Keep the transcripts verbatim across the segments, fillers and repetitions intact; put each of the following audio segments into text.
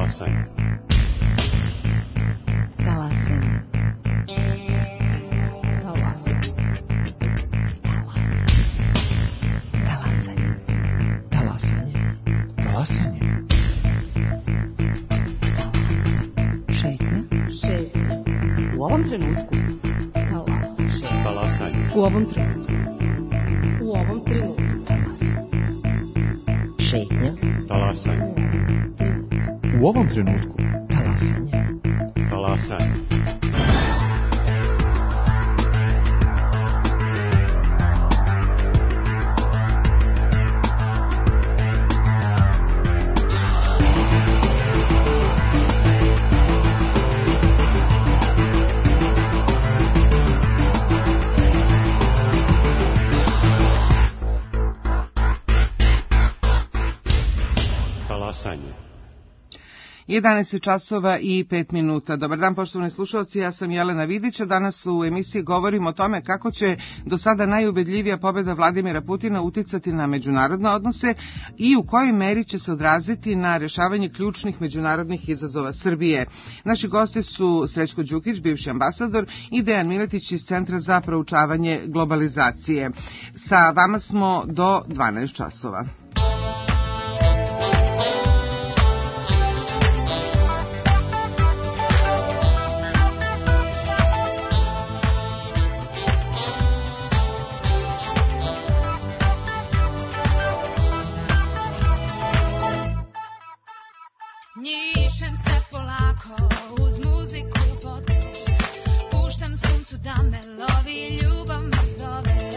Talasanje. Talasanje. Talasanje. Talasanje. Talasanje. Talasanje. Šetnja. Šetnja. U ovom trenutku. Talasanje. Talasanje. U ovom trenutku. U ovom trenutku. Talasanje. Šetnja. Talasanje. U ovom trenutku. Talasanje. Talasanje. Talasanje. jedanaest časova i pet minuta. Dobar dan, poštovani slušalci, ja sam Jelena Vidić, a danas u emisiji govorimo o tome kako će do sada najubedljivija pobjeda Vladimira Putina uticati na međunarodne odnose i u kojoj meri će se odraziti na rješavanje ključnih međunarodnih izazova Srbije. Naši gosti su Srećko Đukić, bivši ambasador, i Dejan Miletić iz Centra za proučavanje globalizacije. Sa vama smo do dvanaest časova. Njišem se polako uz muziku vode, puštam suncu da me lovi, ljubav me zove.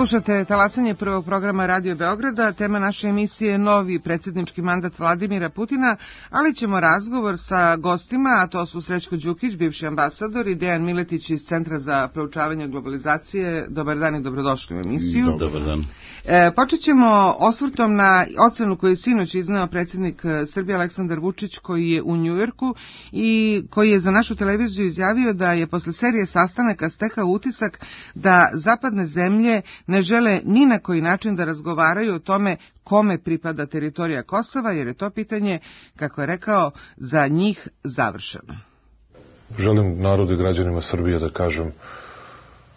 Slušate talasanje prvog programa Radio Beograda. Tema naše emisije je novi predsjednički mandat Vladimira Putina, ali ćemo razgovor sa gostima, a to su Srećko Đukić, bivši ambasador, i Dejan Miletić iz Centra za proučavanje globalizacije. Dobar dan i dobrodošli u emisiju. Dobar dan. E, počet ćemo osvrtom na ocenu koju je sinoć izneo predsjednik Srbije Aleksandar Vučić, koji je u Njujorku i koji je za našu televiziju izjavio da je posle serije sastanaka stekao utisak da zapadne zemlje ne žele ni na koji način da razgovaraju o tome kome pripada teritorija Kosova, jer je to pitanje, kako je rekao, za njih završeno. Želim narodu i građanima Srbije da kažem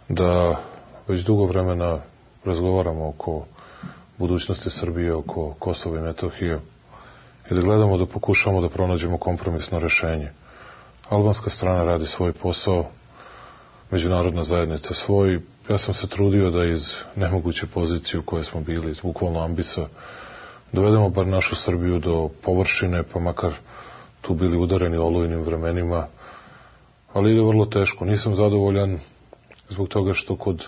da već dugo vremena razgovaramo oko budućnosti Srbije, oko Kosova i Metohije i da gledamo da pokušamo da pronađemo kompromisno rešenje. Albanska strana radi svoj posao, međunarodna zajednica svoj. Ja sam se trudio da iz nemoguće pozicije u kojoj smo bili, iz bukvalno ambisa, dovedemo bar našu Srbiju do površine, pa makar tu bili udareni olujnim vremenima, ali ide vrlo teško. Nisam zadovoljan zbog toga što kod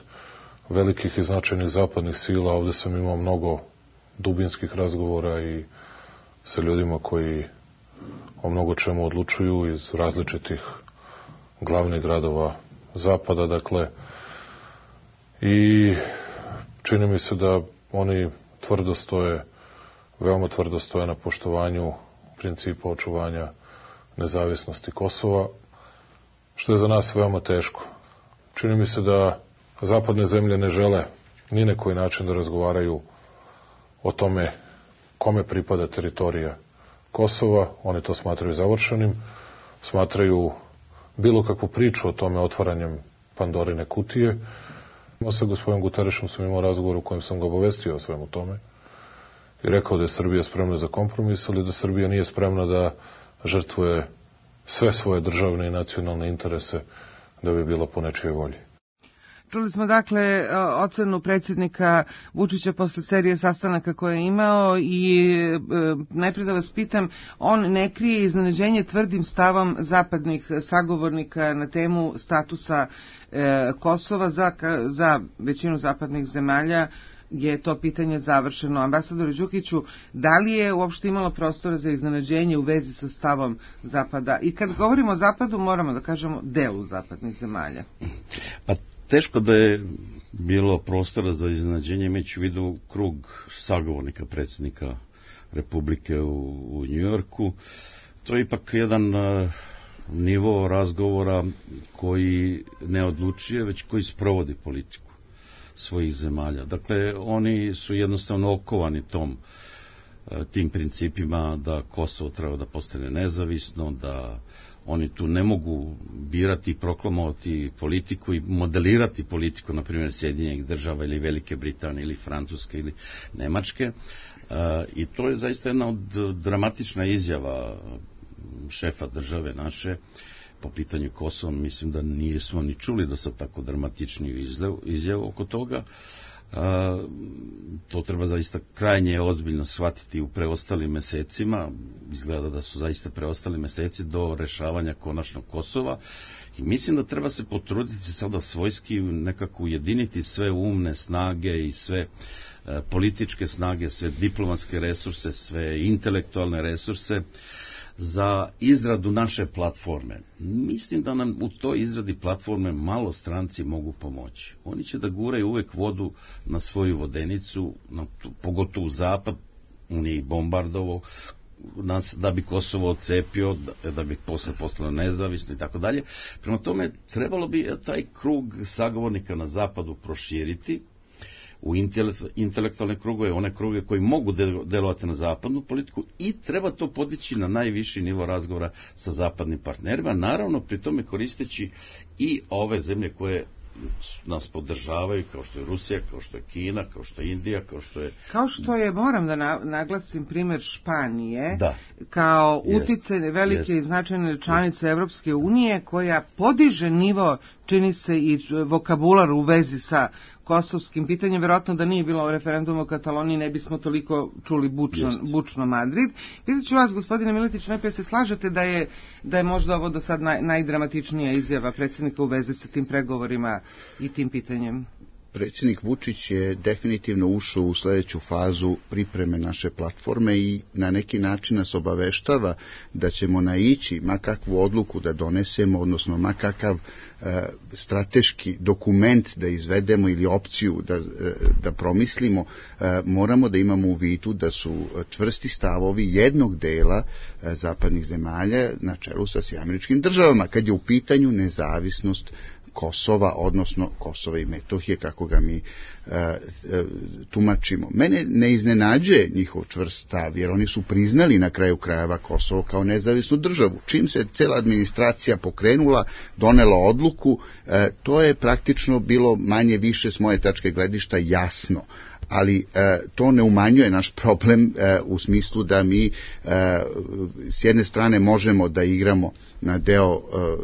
velikih i značajnih zapadnih sila ovde sam imao mnogo dubinskih razgovora i sa ljudima koji o mnogo čemu odlučuju iz različitih glavnih gradova zapada, dakle, i čini mi se da oni tvrdo stoje, veoma tvrdo stoje na poštovanju principa očuvanja nezavisnosti Kosova, što je za nas veoma teško. Čini mi se da zapadne zemlje ne žele ni na koji način da razgovaraju o tome kome pripada teritorija Kosova. Oni to smatraju završenim, smatraju bilo kakvu priču o tome otvaranjem Pandorine kutije. Sa gospodinom Guterešom sam imao razgovor u kojem sam ga obavestio o svemu tome i rekao da je Srbija spremna za kompromis, ali da Srbija nije spremna da žrtvuje sve svoje državne i nacionalne interese da bi bila po nečijoj volji. Čuli smo dakle ocenu predsjednika Vučića posle serije sastanaka koje je imao i e, najprije da vas pitam, on ne krije iznenađenje tvrdim stavom zapadnih sagovornika na temu statusa e, Kosova. Za, za većinu zapadnih zemalja je to pitanje završeno. Ambasadoru Đukiću, da li je uopšte imalo prostora za iznenađenje u vezi sa stavom Zapada? I kad govorimo o Zapadu, moramo da kažemo delu zapadnih zemalja. Pa teško da je bilo prostora za iznenađenje, imajući u vidu krug sagovornika predsjednika Republike u, u Njujorku. To je ipak jedan uh, nivo razgovora koji ne odlučuje, već koji sprovodi politiku svojih zemalja. Dakle, oni su jednostavno okovani tom, tim principima da Kosovo treba da postane nezavisno, da oni tu ne mogu birati i proklamovati politiku i modelirati politiku, na primjer, Sjedinjenih država ili Velike Britanije ili Francuske ili Nemačke. I to je zaista jedna od dramatična izjava šefa države naše po pitanju Kosova. Mislim da nismo ni čuli do sad tako dramatičniju izjavu oko toga. A, to treba zaista krajnje ozbiljno shvatiti u preostalim mesecima. Izgleda da su zaista preostali meseci do rešavanja konačnog Kosova i mislim da treba se potruditi sada svojski nekako ujediniti sve umne snage i sve e, političke snage, sve diplomatske resurse, sve intelektualne resurse za izradu naše platforme. Mislim da nam u toj izradi platforme malo stranci mogu pomoći. Oni će da guraju uvek vodu na svoju vodenicu, na tu, pogotovo u zapad, on je i bombardovao nas da bi Kosovo odcepio, da, da bi posle postalo nezavisno i tako dalje. Prema tome, trebalo bi taj krug sagovornika na zapadu proširiti u intelektualne krugove, one kruge koji mogu delovati na zapadnu politiku i treba to podići na najviši nivo razgovora sa zapadnim partnerima, naravno pri tome koristeći i ove zemlje koje nas podržavaju, kao što je Rusija, kao što je Kina, kao što je Indija, kao što je... Kao što je, moram da na, naglasim primjer Španije, da. Kao uticajne velike i značajne članice Evropske unije, koja podiže nivo, čini se, i vokabular u vezi sa kosovskim pitanjem. Verovatno da nije bilo referenduma u Kataloniji, ne bismo toliko čuli bučno, bučno Madrid. Pitaću vas, gospodine Miletić, najprije se slažete da je, da je možda ovo do sad naj, najdramatičnija izjava predsjednika u vezi sa tim pregovorima i tim pitanjem? predsjednik Vučić je definitivno ušao u sljedeću fazu pripreme naše platforme i na neki način nas obaveštava da ćemo naići ma kakvu odluku da donesemo, odnosno ma kakav e, strateški dokument da izvedemo ili opciju da, e, da promislimo, e, moramo da imamo u vidu da su čvrsti stavovi jednog dela e, zapadnih zemalja na čelu sa Američkim državama, kad je u pitanju nezavisnost Kosova, odnosno Kosova i Metohije, kako ga mi e, e, tumačimo. Mene ne iznenađuje njihov čvrst stav, jer oni su priznali na kraju krajeva Kosovo kao nezavisnu državu. Čim se cela administracija pokrenula, donela odluku, e, to je praktično bilo manje više s moje tačke gledišta jasno. Ali e, to ne umanjuje naš problem e, u smislu da mi e, s jedne strane možemo da igramo na deo e,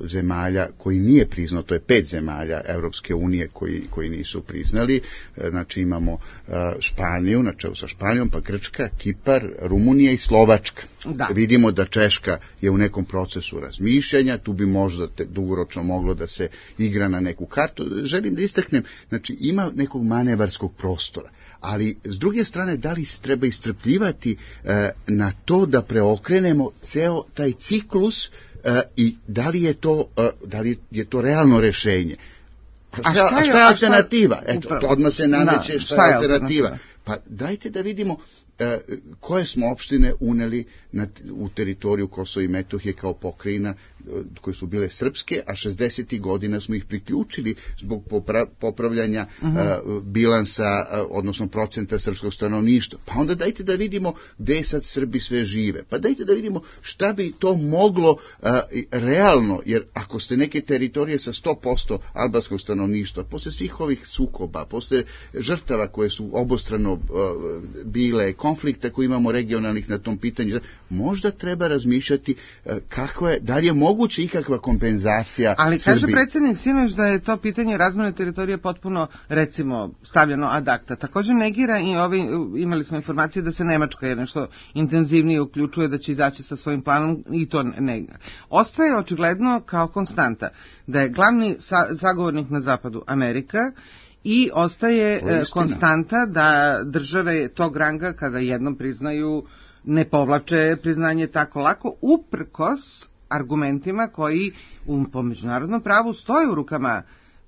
zemalja koji nije priznao, to je pet zemalja Evropske unije koji, koji nisu priznali, e, znači imamo e, Španiju, na čelu sa Španijom, pa Grčka, Kipar, Rumunija i Slovačka. Da. Vidimo da Češka je u nekom procesu razmišljanja, tu bi možda te, dugoročno moglo da se igra na neku kartu. Želim da istaknem, znači ima nekog manevarskog prostora. Ali s druge strane, da li se treba istrpljivati e, na to da preokrenemo ceo taj ciklus e, i da li je to, e, da li je to realno rešenje? A šta, a šta, je, a šta je alternativa? Šta je, Eto, odmah se nameće da, šta, šta je alternativa. alternativa. Pa dajte da vidimo e, koje smo opštine uneli na, u teritoriju Kosova i Metohije kao pokrajina, koje su bile srpske, a šezdesetih godina smo ih priključili zbog popra, popravljanja uh-huh. uh, bilansa, uh, odnosno procenta srpskog stanovništva. Pa onda dajte da vidimo gde sad Srbi sve žive. Pa dajte da vidimo šta bi to moglo uh, realno, jer ako ste neke teritorije sa sto posto albanskog stanovništva, posle svih ovih sukoba, posle žrtava koje su obostrano uh, bile, konflikta koji imamo regionalnih na tom pitanju, možda treba razmišljati uh, kako je, da li je moguće ikakva kompenzacija Ali Srbiji. kaže predsjednik sinoć da je to pitanje razmene teritorije potpuno, recimo, stavljeno ad acta. Također negira i ovi, imali smo informacije da se Nemačka je nešto intenzivnije uključuje, da će izaći sa svojim planom i to negira. Ostaje očigledno kao konstanta da je glavni sa, zagovornik na zapadu Amerika i ostaje konstanta da države tog ranga kada jednom priznaju ne povlače priznanje tako lako, uprkos argumentima koji u, po međunarodnom pravu stoje u rukama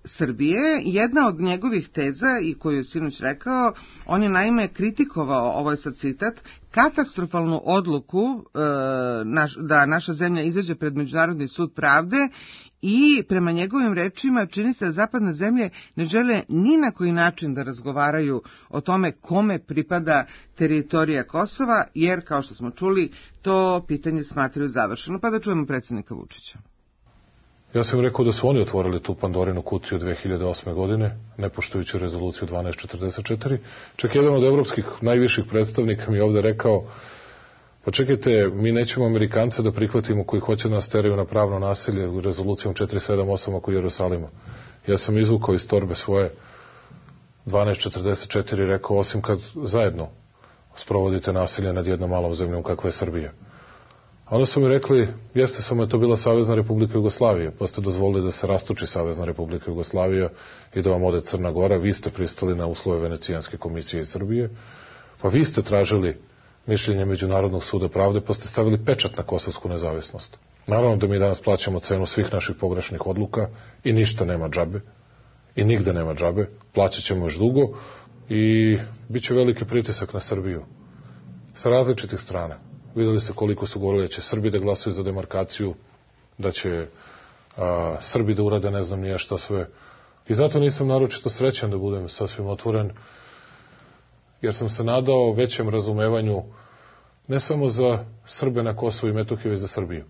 Srbije. Jedna od njegovih teza, i koju je sinoć rekao, on je naime kritikovao, ovo je sad citat, katastrofalnu odluku e, naš, da naša zemlja izađe pred Međunarodni sud pravde i prema njegovim rečima čini se da zapadne zemlje ne žele ni na koji način da razgovaraju o tome kome pripada teritorija Kosova, jer, kao što smo čuli, to pitanje smatraju završeno. Pa da čujemo predsjednika Vučića. Ja sam rekao da su oni otvorili tu Pandorinu kutiju dve hiljade osme. godine, ne poštujući rezoluciju dvanaest četrdeset četiri. Čak jedan od evropskih najviših predstavnika mi je ovde rekao, pa čekajte, mi nećemo Amerikance da prihvatimo koji hoće nas teraju na pravno nasilje rezolucijom četiri sedam osam oko Jerusalima. Ja sam izvukao iz torbe svoje dvanaest četrdeset četiri i rekao, osim kad zajedno sprovodite nasilje nad jednom malom zemljom kakva je Srbija. A onda su mi rekli, jeste, samo je to bila Savezna Republika Jugoslavija, pa ste dozvolili da se rastuči Savezna Republika Jugoslavija i da vam ode Crna Gora, vi ste pristali na uslove Venecijanske komisije iz Srbije, pa vi ste tražili mišljenje Međunarodnog suda pravde, pa ste stavili pečat na kosovsku nezavisnost. Naravno da mi danas plaćamo cenu svih naših pogrešnih odluka i ništa nema džabe, i nigde nema džabe, plaćat ćemo još dugo i bit će veliki pritisak na Srbiju sa različitih strana. Videli se koliko su govorili da će Srbi da glasuju za demarkaciju, da će a, Srbi da urade ne znam nije šta sve. I zato nisam naročito srećan, da budem sasvim otvoren, jer sam se nadao većem razumevanju ne samo za Srbe na Kosovu i Metohiji, već za Srbiju.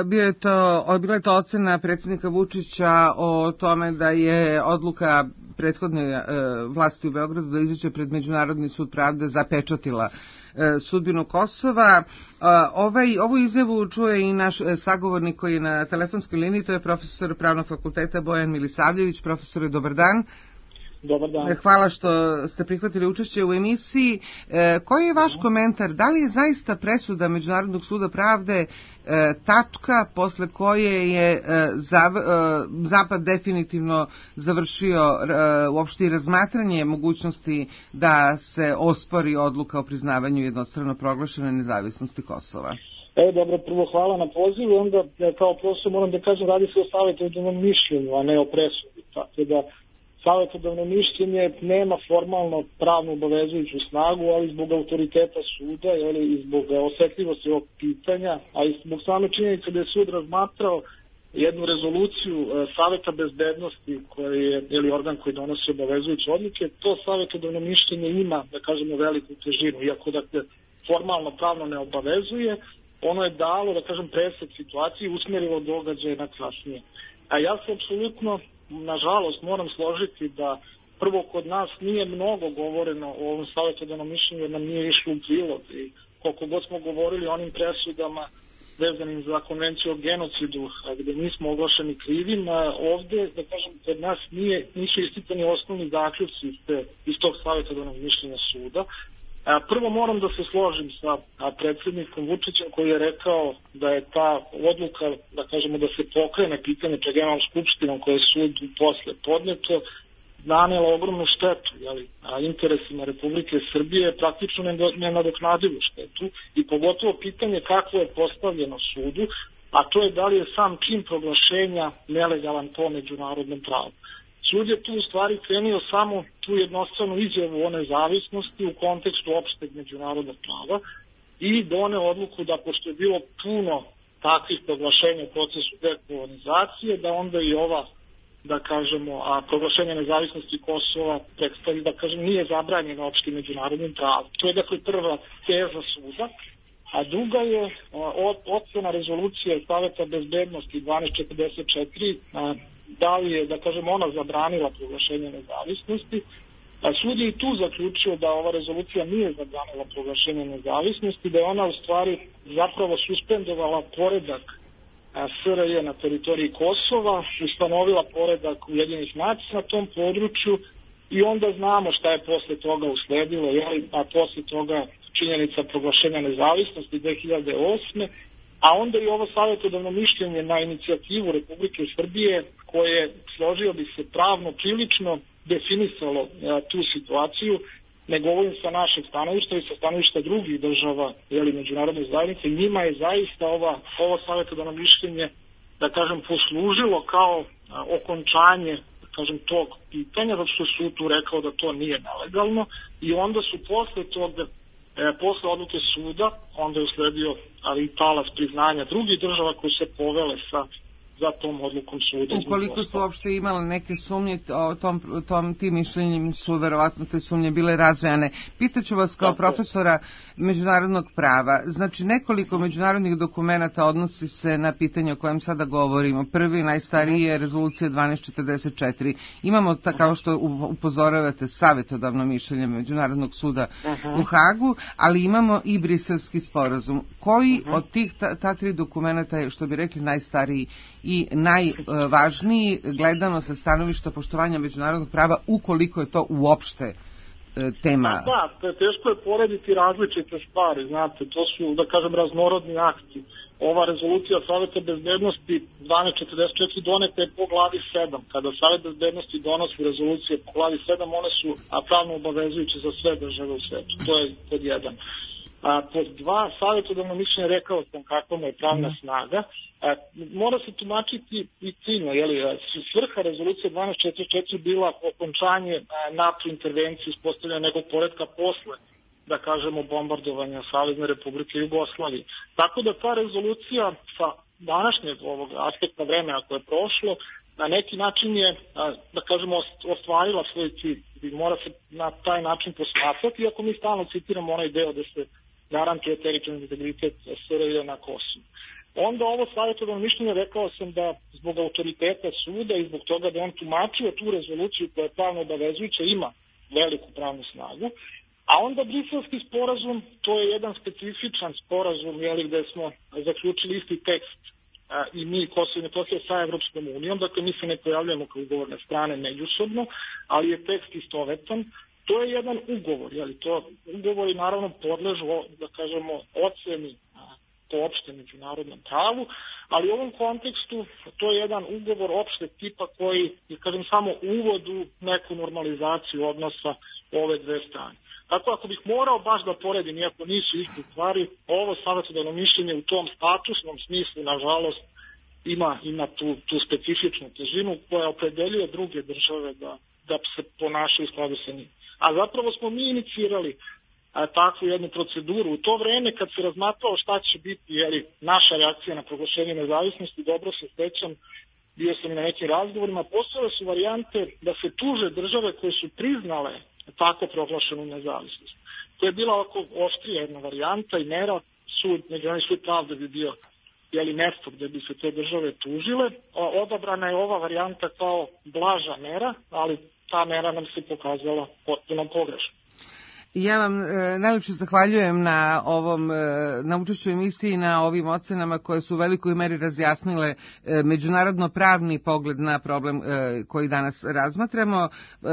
Bio je to, bila je to ocena predsjednika Vučića o tome da je odluka prethodne vlasti u Beogradu da izađe pred Međunarodni sud pravde zapečatila sudbinu Kosova. Ovaj, ovu izjavu čuje i naš sagovornik koji je na telefonskoj liniji, to je profesor Pravnog fakulteta Bojan Milisavljević. Profesore, dobar dan. Dobar dan. Hvala što ste prihvatili učešće u emisiji. E, koji je vaš komentar? Da li je zaista presuda Međunarodnog suda pravde e, tačka posle koje je e, zav, e, Zapad definitivno završio e, uopšte i razmatranje mogućnosti da se ospori odluka o priznavanju jednostrano proglašene nezavisnosti Kosova? E, dobro, prvo hvala na pozivu, onda kao profesor moram da kažem, radi se o savjetodavnom mišljenju, a ne o presudi, tako da savjetodavno mišljenje nema formalno pravno obavezujuću snagu, ali zbog autoriteta suda, jeli, i zbog osetljivosti ovog pitanja, a i zbog same činjenice da je sud razmatrao jednu rezoluciju Saveta bezbednosti, koji je jeli, organ koji donosi obavezujuće odluke, to savjetodavno mišljenje ima, da kažemo, veliku težinu, iako da se formalno pravno ne obavezuje, ono je dalo, da kažem, presek situaciji i usmjerilo događaje na kasnije. A ja se apsolutno, nažalost, moram složiti da prvo kod nas nije mnogo govoreno o ovom savjetodavnom mišljenju, jer nam nije išlo u prilog. I koliko god smo govorili o onim presudama vezanim za konvenciju o genocidu, gde nismo oglašeni krivim, ovde, da kažem, kod nas nije, nisu isticani osnovni zaključci iz, iz tog savjetodavnog mišljenja suda. Prvo moram da se složim sa predsjednikom Vučićem koji je rekao da je ta odluka, da kažemo, da se pokrene pitanje pred Generalnom skupštinom koje je sud posle podneto, nanela ogromnu štetu, jeli, a interesima Republike Srbije praktično nenadoknadivu štetu i pogotovo pitanje kako je postavljeno sudu, a to je da li je sam čin proglašenja nelegalan po međunarodnom pravu. Sud je tu u stvari krenio samo tu jednostranu izjavu o nezavisnosti u kontekstu opšteg međunarodnog prava i doneo odluku da pošto je bilo puno takvih proglašenja u procesu dekolonizacije, da onda i ova, da kažemo, a proglašenje nezavisnosti Kosova predstavi, da kažem, nije zabranjeno opštim međunarodnim pravom. To je dakle prva teza suda, a druga je ocena rezolucije Saveta bezbednosti dvanaest četrdeset četiri, da li je, da kažem, ona zabranila proglašenje nezavisnosti. A sud je i tu zaključio da ova rezolucija nije zabranila proglašenje nezavisnosti, da je ona u stvari zapravo suspendovala poredak S R J na teritoriji Kosova, ustanovila poredak Ujedinjenih nacija na tom području i onda znamo šta je posle toga usledilo, jeli, a posle toga činjenica proglašenja nezavisnosti dve hiljade osme, a onda i ovo savjetodavno mišljenje na inicijativu Republike Srbije koje, složio bi se, pravno prilično definisalo a, tu situaciju, ne govorim sa našeg stanovišta i sa stanovišta drugih država, jeli, međunarodne zajednice, njima je zaista ova, ovo savjetodavno mišljenje, da kažem, poslužilo kao a, okončanje, da kažem, tog pitanja, zato što su tu rekao da to nije nelegalno i onda su posle toga E, posle odluke suda, onda je usledio ali i talas priznanja drugih država koji se povele sa za tom odlukom suda. Ukoliko su uopšte imale neke sumnje, o tom, tom, tim mišljenjem su verovatno te sumnje bile razvejane. Pitaću vas kao Tako. profesora međunarodnog prava. Znači, nekoliko međunarodnih dokumenata odnosi se na pitanje o kojem sada govorimo. Prvi, najstariji je rezolucija dvanaest četrdeset četiri. Imamo, ta, kao što upozoravate, savjetodavno mišljenje Međunarodnog suda uh-huh. u Hagu, ali imamo i Briselski sporazum. Koji uh-huh. od tih ta, ta tri dokumenta je, što bi rekli, najstariji i najvažniji gledano sa stanovišta poštovanja međunarodnog prava, ukoliko je to uopšte tema? Da, da, teško je porediti različite stvari, znate, to su, da kažem, raznorodni akti. Ova rezolucija Saveta bezbednosti dvanaest četrdeset četiri doneta je po glavi sedam. Kada Savet bezbednosti donosi rezolucije po glavi sedam, one su pravno obavezujuće za sve države u svetu. To je pod jedan. A, pod dva, savjetodavno mišljenje, rekao sam kakva mu je pravna mm. snaga. A, mora se tumačiti i ciljno, jeli, svrha rezolucije dvanaest četrdeset četiri bila okončanje NATO intervencije ispostavljanja nekog poretka posle, da kažemo, bombardovanja Savezne Republike Jugoslavije. Tako da ta rezolucija sa današnjeg ovog aspekta vremena koje je prošlo, na neki način je, da kažemo, ostvarila svoj cilj i mora se na taj način posmatrati, iako mi stalno citiramo onaj deo da se garantuje teritorijalni integritet S R J na Kosovu. Onda ovo savjetodavno mišljenje, rekao sam da zbog autoriteta suda i zbog toga da on tumačio tu rezoluciju koja je pravno obavezujuća, ima veliku pravnu snagu. A onda Briselski sporazum, to je jedan specifičan sporazum, jeli, gde smo zaključili isti tekst i mi Kosovo i Metohija sa Evropskom unijom, dakle mi se ne pojavljamo kao ugovorne strane međusobno, ali je tekst istovetan. To je jedan ugovor, jeli to ugovori naravno podležu, da kažemo, oceni po opštem međunarodnom pravu, ali u ovom kontekstu to je jedan ugovor opšteg tipa koji je, kažem, samo uvod u neku normalizaciju odnosa ove dve strane. Tako ako bih morao baš da poredim, iako nisu iste stvari, ovo savetodavno mišljenje u tom statusnom smislu, nažalost, ima, ima tu, tu specifičnu težinu koja opredeljuje druge države da, da se ponašaju u skladu sa njim. A zapravo smo mi inicirali a, takvu jednu proceduru. U to vreme kad se razmatralo šta će biti jeli, naša reakcija na proglašenje nezavisnosti, dobro se sećam, bio sam i na nekim razgovorima, postojale su varijante da se tuže države koje su priznale tako proglašenu nezavisnost. To je bila ovako oštrija jedna varijanta i mera, sud, međunarodni sud pravde bi bio jeli, mesto gde bi se te države tužile. Odabrana je ova varijanta kao blaža mera, ali ta mera nam se pokazala potpuno pogrešno. Ja vam e, najljepše zahvaljujem na ovom e, na učešću emisiji, na ovim ocenama koje su u velikoj meri razjasnile e, međunarodno pravni pogled na problem e, koji danas razmatramo. E,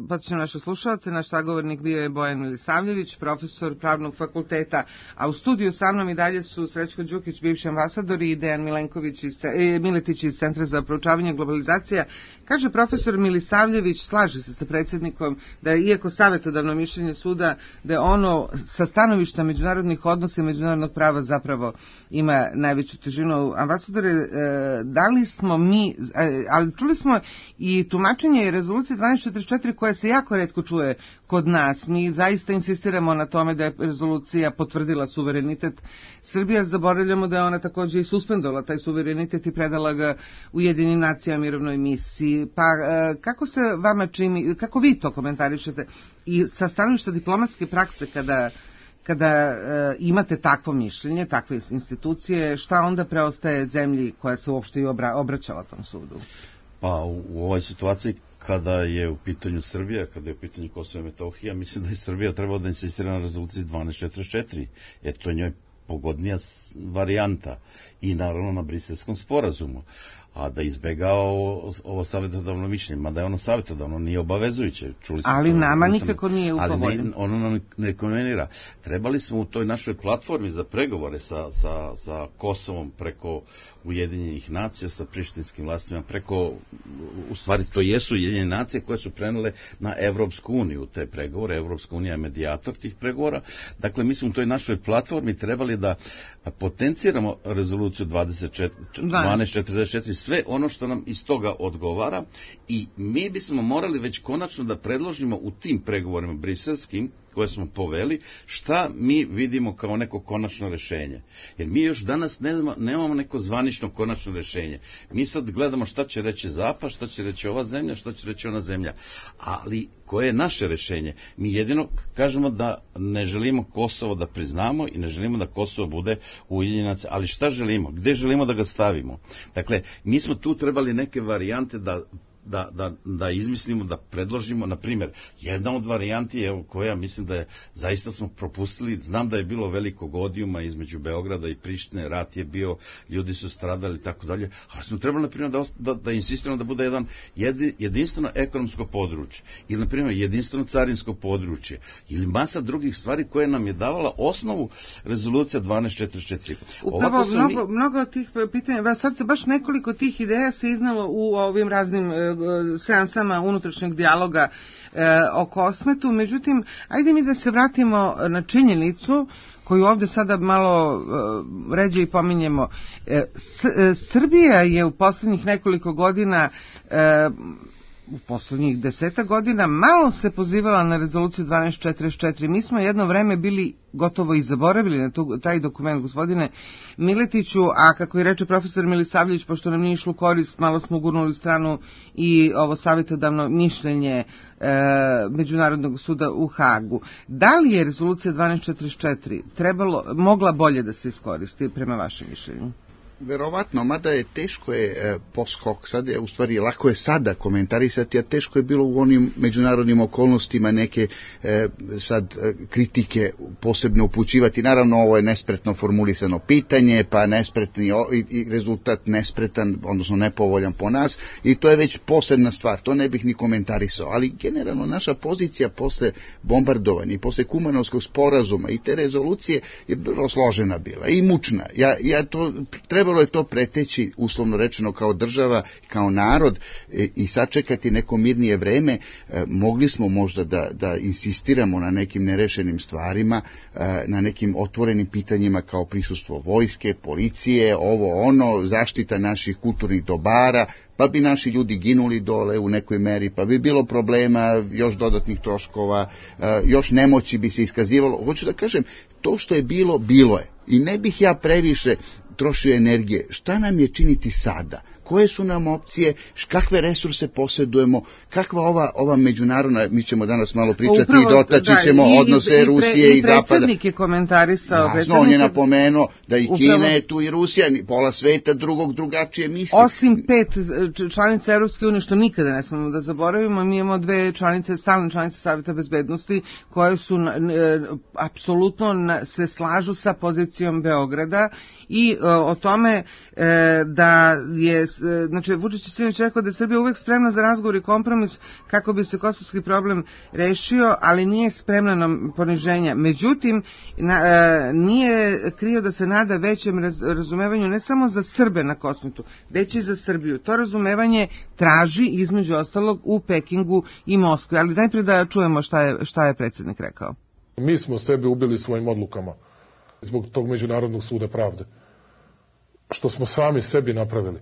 Podsjećam naše slušalce, naš sagovornik bio je Bojan Milisavljević, profesor Pravnog fakulteta, a u studiju sa mnom i dalje su Srećko Đukić, bivši ambasador, i Dejan Milenković iz, e, Miletić iz Centra za proučavanje globalizacija. Kaže profesor Milisavljević, slaže se sa predsjednikom da je, iako savjetodavno mišljenje suda, da je ono sa stanovišta međunarodnih odnosa i međunarodnog prava zapravo ima najveću težinu. Ambasadore, da li smo mi, ali čuli smo i tumačenje rezolucije dvanaest četrdeset četiri koja se jako retko čuje kod nas. Mi zaista insistiramo na tome da je rezolucija potvrdila suverenitet Srbije, zaboravljamo da je ona također i suspendovala taj suverenitet i predala ga Ujedinjenim nacijama mirovnoj misiji. Pa kako se vama čini, kako vi to komentarišete i sa stanovišta diplomatske prakse kada kada e, imate takvo mišljenje, takve institucije, šta onda preostaje zemlji koja se uopšte i obra, obraćala tom sudu? Pa u, u ovoj situaciji kada je u pitanju Srbija, kada je u pitanju Kosovo i Metohija, mislim da je Srbija trebala da insistira na rezoluciji dvanaest četrdeset četiri, jer to je njoj pogodnija varijanta i naravno na Briselskom sporazumu, a da izbega ovo, ovo savjetodavno mišljenje, mada je ono savjetodavno, nije obavezujuće. Čuli smo ali to, nama tamo, nikako nije upovoljeno. Ali ne, ono nam ne konvenira. Trebali smo u toj našoj platformi za pregovore sa, sa, sa Kosovom preko Ujedinjenih nacija, sa prištinskim vlastima, preko, u stvari to jesu Ujedinjene nacije koje su prenele na Evropsku uniju te pregovore. Evropska unija je medijator tih pregovora. Dakle, mi smo u toj našoj platformi trebali da potenciramo rezoluciju dvanaest četrdeset četiri, sve ono što nam iz toga odgovara, i mi bismo morali već konačno da predložimo u tim pregovorima briselskim koje smo poveli, šta mi vidimo kao neko konačno rešenje. Jer mi još danas ne znamo, nemamo neko zvanično konačno rešenje. Mi sad gledamo šta će reći Zapad, šta će reći ova zemlja, šta će reći ona zemlja. Ali koje je naše rešenje? Mi jedino kažemo da ne želimo Kosovo da priznamo i ne želimo da Kosovo bude Ujedinjene nacije. Ali šta želimo? Gde želimo da ga stavimo? Dakle, mi smo tu trebali neke varijante da Da, da, da izmislimo, da predložimo. Na primjer, jedna od varijanti je koja mislim da je, zaista smo propustili, znam da je bilo velikog odijuma između Beograda i Prištine, rat je bio, ljudi su stradali i tako dalje, ali smo trebali na primjer da, da, da insistiramo da bude jedan jedi, jedinstveno ekonomsko područje, ili na primjer jedinstveno carinsko područje, ili masa drugih stvari koje nam je davala osnovu rezolucija dvanaest četrdeset četiri. Upravo mnogo, mi... mnogo od tih pitanja, sad se baš nekoliko tih ideja se iznalo u ovim raznim seansama unutrašnjeg dijaloga e, o Kosmetu. Međutim, ajde mi da se vratimo na činjenicu koju ovdje sada malo e, ređe i pominjemo. E, S, e, Srbija je u posljednjih nekoliko godina e, u posljednjih deseta godina malo se pozivala na rezoluciju dvanaest četrdeset četiri. Mi smo jedno vreme bili gotovo i zaboravili na tu, taj dokument, gospodine Miletiću, a kako je reče profesor Milisavljević, pošto nam nije išlo korist, malo smo gurnuli stranu i ovo savjetodavno mišljenje e, Međunarodnog suda u Hagu. Da li je rezolucija dvanaest četrdeset četiri trebalo, mogla bolje da se iskoristi prema vašem mišljenju? verovatno, mada je teško je e, post hoc, sad je, u stvari, lako je sada komentarisati, a teško je bilo u onim međunarodnim okolnostima neke e, sad e, kritike posebno upućivati. Naravno, ovo je nespretno formulisano pitanje, pa nespretni o, i, i rezultat nespretan, odnosno nepovoljan po nas, i to je već posebna stvar, to ne bih ni komentarisao, ali generalno naša pozicija posle bombardovanja i posle Kumanovskog sporazuma i te rezolucije je vrlo složena bila i mučna. Ja, ja to, trebalo je to preteći, uslovno rečeno, kao država, kao narod e, i sačekati neko mirnije vreme. E, mogli smo možda da, da insistiramo na nekim nerešenim stvarima, e, na nekim otvorenim pitanjima kao prisustvo vojske, policije, ovo ono, zaštita naših kulturnih dobara, pa bi naši ljudi ginuli dole u nekoj meri, pa bi bilo problema, još dodatnih troškova, još nemoći bi se iskazivalo. Hoću da kažem, to što je bilo, bilo je. I ne bih ja previše trošio energije. Šta nam je činiti sada? Koje su nam opcije, kakve resurse posjedujemo, kakva ova, ova međunarodna, mi ćemo danas malo pričati upravo, i dotaći da, ćemo i, odnose i, Rusije i, i Zapada. I predsjednik je komentarisao. Jasno, on je napomenuo da i upravo, Kina je tu i Rusija, pola sveta drugog drugačije misli. Osim pet članica Evropske unije, što nikada ne smemo da zaboravimo, mi imamo dve članice, stalne članice Saveta bezbednosti, koje su e, apsolutno se slažu sa pozicijom Beograda i e, o tome e, da je, znači Vučić je sinoć rekao da je Srbija uvek spremna za razgovor i kompromis kako bi se kosovski problem rešio, ali nije spremna na poniženja. Međutim, na, e, nije krio da se nada većem raz, razumevanju ne samo za Srbe na Kosmetu, već i za Srbiju. To razumevanje traži između ostalog u Pekingu i Moskvi, ali najprije da čujemo šta je, šta je predsjednik rekao. Mi smo sebe ubili svojim odlukama zbog tog Međunarodnog suda pravde. Što smo sami sebi napravili.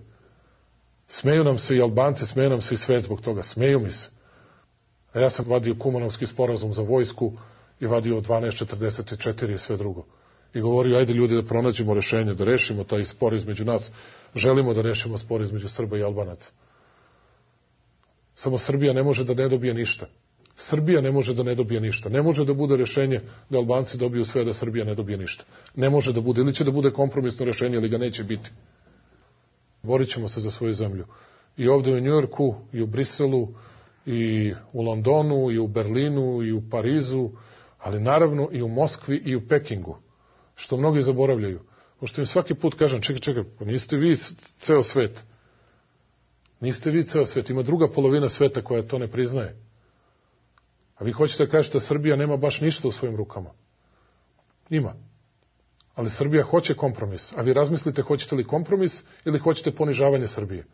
Smeju nam se i Albanci, smeju nam se i svet zbog toga. Smeju mi se. A ja sam vadio Kumanovski sporazum za vojsku i vadio dvanaest četrdeset četiri i sve drugo. I govorio, ajde ljudi da pronađemo rešenje, da rešimo taj spor između nas. Želimo da rešimo spor između Srba i Albanaca. Samo Srbija ne može da ne dobije ništa. Srbija ne može da ne dobije ništa. Ne može da bude rešenje da Albanci dobiju sve, da Srbija ne dobije ništa. Ne može da bude. Ili će da bude kompromisno rešenje, ili ga neće biti. Borit ćemo se za svoju zemlju. I ovde u Njujorku, i u Briselu, i u Londonu, i u Berlinu, i u Parizu, ali naravno i u Moskvi i u Pekingu. Što mnogi zaboravljaju. Pošto im svaki put kažem, čekaj, čekaj, pa niste vi ceo svet. Niste vi ceo svet. Ima druga polovina sveta koja to ne priznaje. A vi hoćete da kažete da Srbija nema baš ništa u svojim rukama. Ima. Ali Srbija hoće kompromis. A vi razmislite hoćete li kompromis ili hoćete ponižavanje Srbije.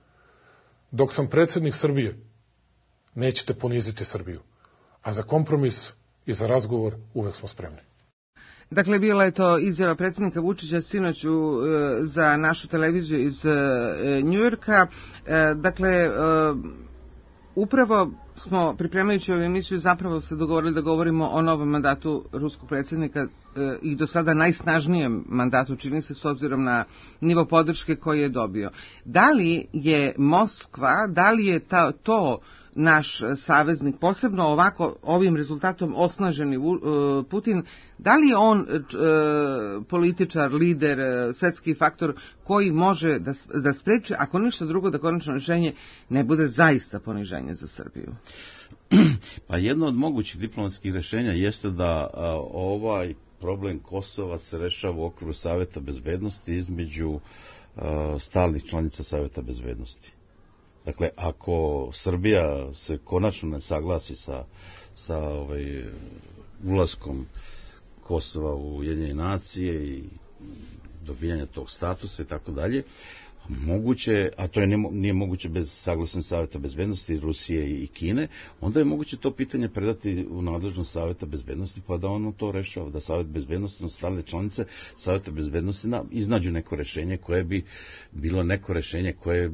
Dok sam predsjednik Srbije, nećete poniziti Srbiju. A za kompromis i za razgovor uvek smo spremni. Dakle, bila je to izjava predsjednika Vučića sinoć u, za našu televiziju iz Njujorka. Dakle, upravo smo, pripremajući ovu emisiju, zapravo se dogovorili da govorimo o novom mandatu ruskog predsjednika e, i do sada najsnažnijem mandatu, čini se, s obzirom na nivo podrške koji je dobio. Da li je Moskva, da li je ta, to naš saveznik, posebno ovako ovim rezultatom osnaženi uh, Putin, da li je on uh, političar, lider, uh, svetski faktor koji može da, da spreči, ako ništa drugo, da konačno rešenje ne bude zaista poniženje za Srbiju? Pa jedno od mogućih diplomatskih rešenja jeste da uh, ovaj problem Kosova se rešava u okviru Saveta bezbednosti između uh, stalnih članica Saveta bezbednosti. Dakle, ako Srbija se konačno ne saglasi sa, sa ovaj, ulaskom Kosova u Ujedinjene nacije i dobijanja tog statusa i tako dalje, moguće, a to je ne, nije moguće bez saglasnosti Saveta bezbednosti Rusije i Kine, onda je moguće to pitanje predati u nadležnost Saveta bezbednosti, pa da ono to rešava, da Savet bezbednosti, ostale članice Saveta bezbednosti na, iznađu neko rešenje koje bi bilo neko rešenje koje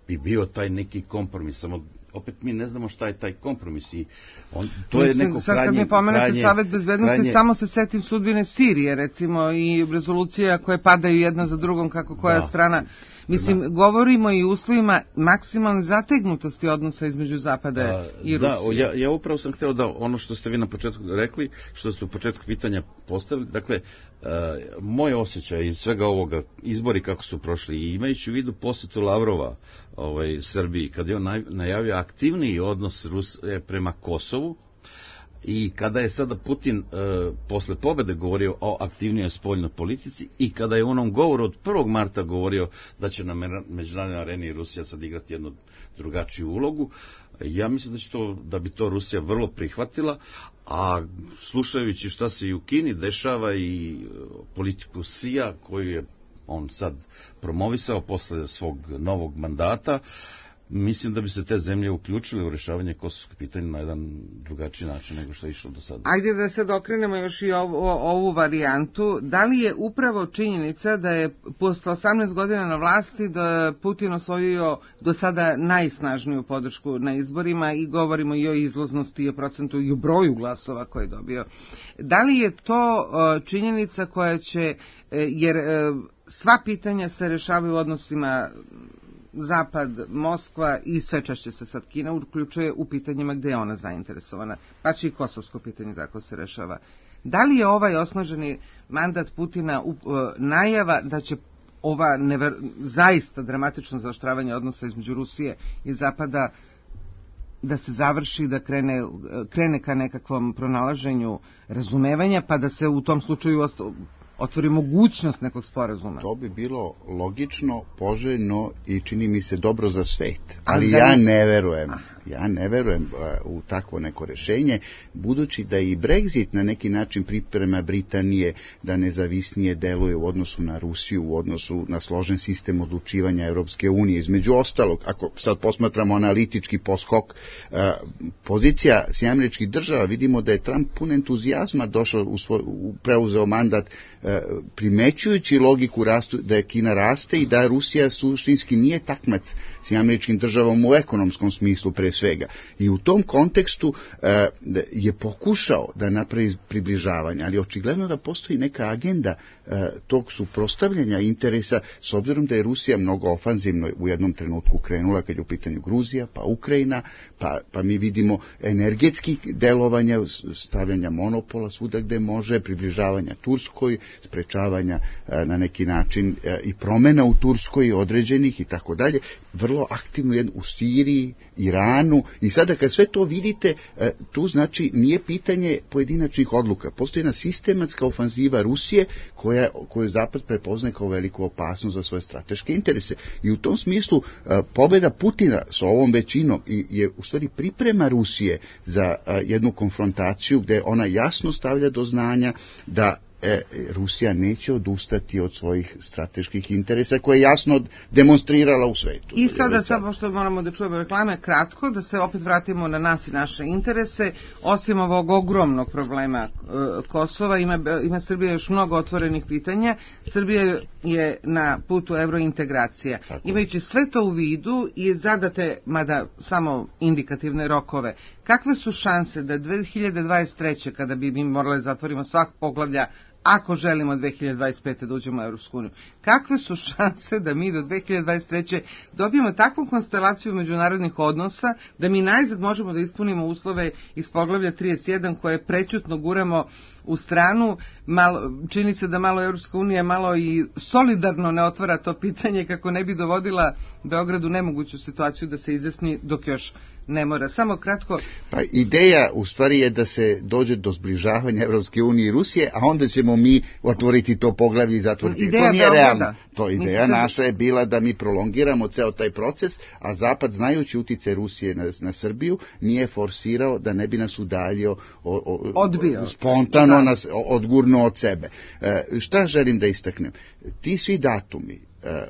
bi bio taj neki kompromis, samo opet mi ne znamo šta je taj kompromis i on, to je neko krajnje... Sad kad mi pomenete krajnje, Savet bezbednosti, krajnje... samo se setim sudbine Sirije, recimo, i rezolucija koje padaju jedna za drugom, kako koja da. strana... Mislim, Da. govorimo i uslovima maksimalne zategnutosti odnosa između Zapada A, i da, Rusije. ja, ja upravo sam hteo da ono što ste vi na početku rekli, što ste u početku pitanja postavili, dakle, uh, moj osjećaj iz svega ovoga, izbori kako su prošli, i imajući u vidu posjetu Lavrova ovaj, Srbiji, kad je on naj, najavio aktivniji odnos Rusije prema Kosovu, i kada je sada Putin e, posle pobede govorio o aktivnijoj spoljnoj politici i kada je u onom govoru od prvog marta govorio da će na međunarodnoj areni Rusija sad igrati jednu drugačiju ulogu, ja mislim da, će to, da bi to Rusija vrlo prihvatila, a slušajući šta se i u Kini dešava i politiku Sija koju je on sad promovisao posle svog novog mandata, mislim da bi se te zemlje uključile u rešavanje kosovskog pitanja na jedan drugačiji način nego što je išlo do sada. Ajde da sad okrenemo još i ovu, ovu varijantu. Da li je upravo činjenica da je posle osamnaest godina na vlasti da Putin osvojio do sada najsnažniju podršku na izborima i govorimo i o izlaznosti i o procentu i o broju glasova koje je dobio. Da li je to činjenica koja će, jer sva pitanja se rešavaju u odnosima Zapad, Moskva i sve češće se sad Kina uključuje u pitanjima gde je ona zainteresovana, pa će i kosovsko pitanje tako se rešava. Da li je ovaj osnaženi mandat Putina uh, najava da će ova never, zaista dramatično zaoštravanje odnosa između Rusije i Zapada da se završi, da krene, krene ka nekakvom pronalaženju razumevanja, pa da se u tom slučaju otvori mogućnost nekog sporazuma? To bi bilo logično, poželjno i čini mi se dobro za svet. Ali ja ne verujem. Ja ne verujem u takvo neko rešenje, budući da i Brexit na neki način priprema Britanije da nezavisnije deluje u odnosu na Rusiju, u odnosu na složen sistem odlučivanja Europske unije. Između ostalog, ako sad posmatramo analitički poskok, pozicija Sjedinjenih Američkih Država, vidimo da je Trump pun entuzijazma došao u svoj, preuzeo mandat primećujući logiku rastu, da je Kina raste i da Rusija suštinski nije takmac Sjedinjenim Američkim Državama u ekonomskom smislu pre svega. I u tom kontekstu e, je pokušao da napravi približavanje, ali očigledno da postoji neka agenda e, tog suprotstavljanja interesa, s obzirom da je Rusija mnogo ofanzivno u jednom trenutku krenula kad je u pitanju Gruzija, pa Ukrajina, pa, pa mi vidimo energetskih delovanja, stavljanja monopola svuda gde može, približavanja Turskoj, sprečavanja e, na neki način e, i promena u Turskoj određenih i tako dalje, vrlo aktivno jedno, u Siriji, Iranu, i sada kad sve to vidite, tu znači nije pitanje pojedinačnih odluka. Postoji jedna sistematska ofanziva Rusije koja, koju Zapad prepoznaje kao veliku opasnost za svoje strateške interese. I u tom smislu pobjeda Putina sa ovom većinom je u stvari priprema Rusije za jednu konfrontaciju gde ona jasno stavlja do znanja da E, Rusija neće odustati od svojih strateških interesa koje je jasno demonstrirala u svetu. I sada, sad, pošto moramo da čujemo reklame, kratko, da se opet vratimo na nas i naše interese. Osim ovog ogromnog problema e, Kosova, ima, ima Srbija još mnogo otvorenih pitanja. Srbija je na putu evrointegracija. Tako. Imajući sve to u vidu i zadate, mada samo indikativne rokove, kakve su šanse da dve hiljade dvadeset treće kada bi mi morali zatvorimo svak poglavlja, ako želimo dve hiljade dvadeset pete da uđemo u Europsku uniju, kakve su šanse da mi do dve hiljade dvadeset treće dobijemo takvu konstelaciju međunarodnih odnosa da mi najzad možemo da ispunimo uslove iz poglavlja trideset jedan koje prećutno guramo u stranu, malo, čini se da malo Europska unija malo i solidarno ne otvara to pitanje kako ne bi dovodila Beogradu nemoguću situaciju da se izjasni dok još ne mora. Samo kratko. Pa ideja u stvari je da se dođe do zbližavanja Evropske unije i Rusije, a onda ćemo mi otvoriti to poglavlje i zatvoriti. Ideja to nije Beograda. realno. To ideja da... naša je bila da mi prolongiramo ceo taj proces, a Zapad, znajući utice Rusije na, na Srbiju, nije forsirao da ne bi nas udaljio o, o, odbio. Spontano da. Nas odgurnuo od sebe. E, šta želim da istaknem? Ti svi datumi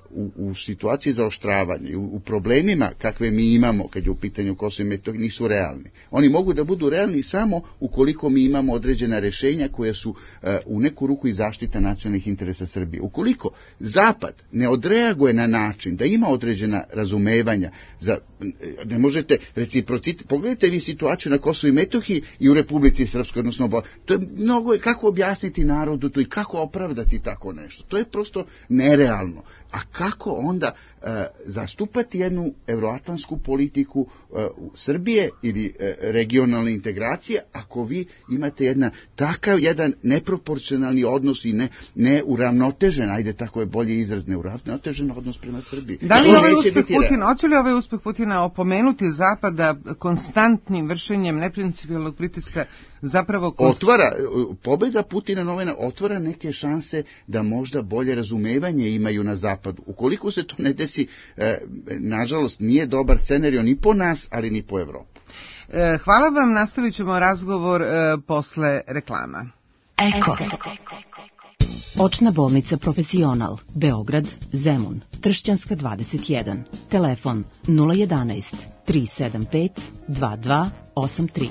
U, u situaciji zaoštravanja, u, u problemima kakve mi imamo kad je u pitanju Kosovo i Metohija, nisu realni. Oni mogu da budu realni samo ukoliko mi imamo određena rešenja koja su uh, u neku ruku i zaštita nacionalnih interesa Srbije. Ukoliko Zapad ne odreaguje na način da ima određena razumevanja, za, ne možete reciprociti, pogledajte vi situaciju na Kosovo i Metohiji i u Republici Srpskoj, odnosno to je mnogo, kako objasniti narodu to i kako opravdati tako nešto. To je prosto nerealno. A kako onda uh, zastupati jednu euroatlantsku politiku uh, Srbije ili uh, regionalne integracije ako vi imate jedna, takav jedan neproporcionalni odnos i ne, neuravnotežen, ajde tako je bolje izraz, neuravnotežen odnos prema Srbiji. Da li ovaj uspeh Putina, hoće li ovaj uspeh Putina opomenuti Zapada konstantnim vršenjem neprincipijalnog pritiska zapravo konst... otvara, pobjeda Putina novena otvara neke šanse da možda bolje razumevanje imaju na Zapadu. Ukoliko se to ne desi, e, nažalost nije dobar scenario ni po nas, ali ni po Evropu. E, hvala vam, nastavit ćemo razgovor e, posle reklama. Eko. Očna bolnica Profesional, Beograd, Zemun, Tršćanska dvadeset jedan. Telefon nula jedanaest tri sedam pet dva dva osam tri.